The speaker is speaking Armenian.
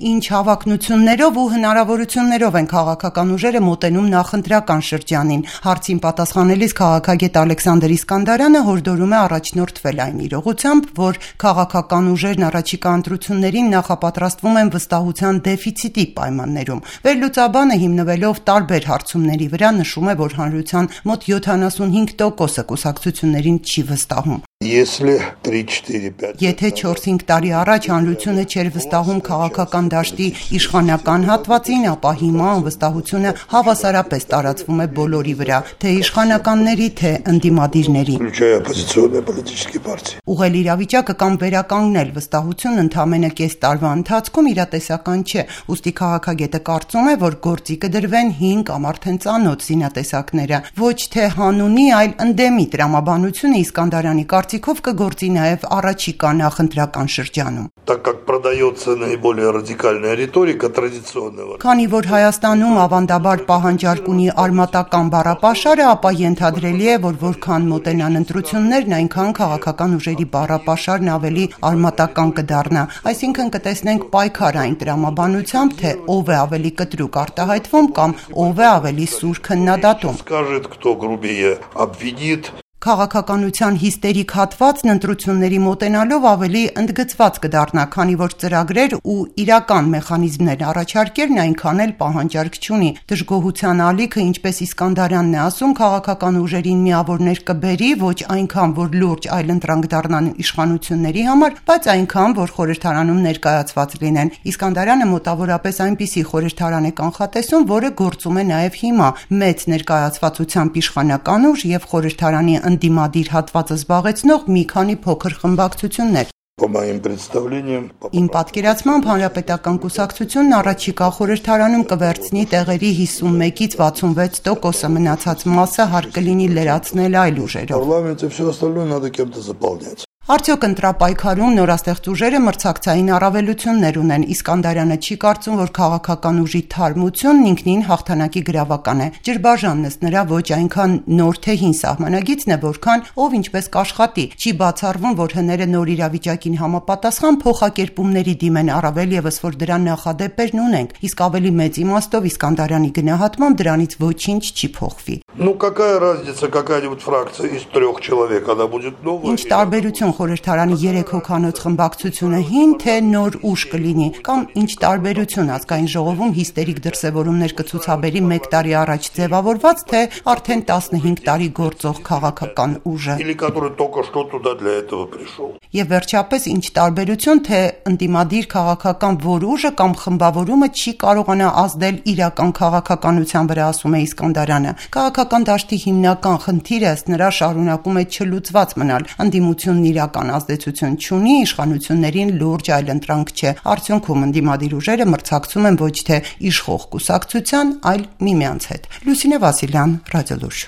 Ինչ հավակնություններով ու հնարավորություններով են քաղաքական ուժերը մոտենում նախընտրական շրջանին։ Հարցին պատասխանելիս քաղաքագետ Ալեքսանդր Իսկանդարյանը հորդորում է առաջնորդվել այն իրողությամբ, որ քաղաքական ուժերն առաջիկա ընտրություններին նախապատրաստվում են վստահության դեֆիցիտի պայմաններում։ Վերլուծաբանը հիմնվելով տարբեր հարցումների վրա նշում է, որ հանրության մոտ 75%-ը կուսակցություններին չի վստահում։ Եթե 4-5 տարի առաջ հանրությունը չէր վստահում քաղաքական դաշտի իշխանական հատվածին, ապա հիմա անվստահությունը հավասարապես տարածվում է բոլորի վրա, թե իշխանականների, թե ընդդիմադիրների։ Ուղղել իրավիճակը կամ վերականգնել վստահությունն ընդամենը կես տարվա ընթացքում իրատեսական չէ, ուստի քաղաքագետը կարծում է, որ գործի կդրվեն 5 կամ արդեն ծանոթ զինատեսակները, ոչ թե հանունի, այլ ընդդեմի տրամաբանությունը Իսկանդարյանի կարծիքով կգործի նաև առաջիկա նախընտրական շրջանում։ Քանի որ Հայաստանում ավանդաբար պահանջարկ ունի արմատական բառապաշարը, ապա ենթադրելի է, որ որքան մոտենան ընտրություններն, այնքան քաղաքական ուժերի բառապաշարն ավելի արմատական կդառնա, այսինքն կտեսնենք պայքար այն տրամաբանությամբ, թե ով է ավելի կտրուկ արտահայտվում կամ ով է ավելի սուր քննադատում։ Քաղաքականության հիստերիկ հատվածն ընտրությունների մոտենալով ավելի ընդգծված կդառնա, քանի որ ծրագրեր ու իրական մեխանիզմներ առաջարկելն այնքան էլ պահանջարկ չունի։ Դժգոհության ալիքը, ինչպես Իսկանդարյանն է ասում, քաղաքական ուժերին միավորներ կբերի, ոչ այնքան, որ լուրջ այլընտրանք դառնան իշխանությունների համար, բայց այնքան, որ խորհրդարանում ներկայացված լինեն։ Իսկանդարյանը մոտավորապես այնպիսի խորհրդարան է կանխատեսում, որը գործում է նաև հիմա՝ մեծ ներկայացվածությամբ իշխանական ուժ եւ խորհրդարանի ընդդիմադիր հատվածը զբաղեցնող մի քանի փոքր խմբակցություններ։ Իմ պատկերացմամբ Հանրապետական կուսակցությունն առաջիկա խորհրդարանում կվերցնի տեղերի 51-ից 66%-ը, մնացած մասը հարկ կլինի լրացնել այլ ուժերով։ Արդյոք ընտրապայքարում նորաստեղծ ուժերը մրցակցային առավելություններ ունեն։ Իսկանդարյանը չի կարծում, որ քաղաքական ուժի թարմությունն ինքնին հաղթանակի գրավական է։ Ջրբաժանն ըստ նրա ոչ այնքան նոր թե հին սահմանագիծն է, որքան ով ինչպես կաշխատի։ Չի բացառվում, որ հները նոր իրավիճակին համապատասխան փոխակերպումների դիմեն, առավել ևս որ դրա նախադեպերն ունենք, իսկ ավելի մեծ իմաստով Իսկանդարյանի գնահատմամբ դրանից ոչինչ չի փոխվի։ Ինչ տարբերություն խորհրդարանի 3 հոգանոց խմբակցությունը հին թե նոր ուժ կլինի, կամ ինչ տարբերություն ազգային ժողովում հիստերիկ դրսևորումներ կցուցաբերի 1 տարի առաջ ձևավորված, թե արդեն 15 տարի գործող քաղաքական ուժը։ Եվ վերջապես ինչ տարբերություն, թե ընդդիմադիր քաղաքական որ ուժը կամ խմբավորումը չի կարողանա ազդել իրական քաղաքականության վրա, ասում է Իսկանդարյանը։ Քաղաքական դաշտի հիմնական խնդիրը ըստ նրա շարունակում է չլուծված մնալ։ Ընդդիմությունն իրական ազդեցություն չունի, իշխանություններին լուրջ այլընտրանք չէ։ Արդյունքում ընդդիմադիր ուժերը մրցակցում են ոչ թե իշխող կուսակցության, այլ միմյանց հետ։ Լուսինե Վասիլյան, Ռադիոլուր։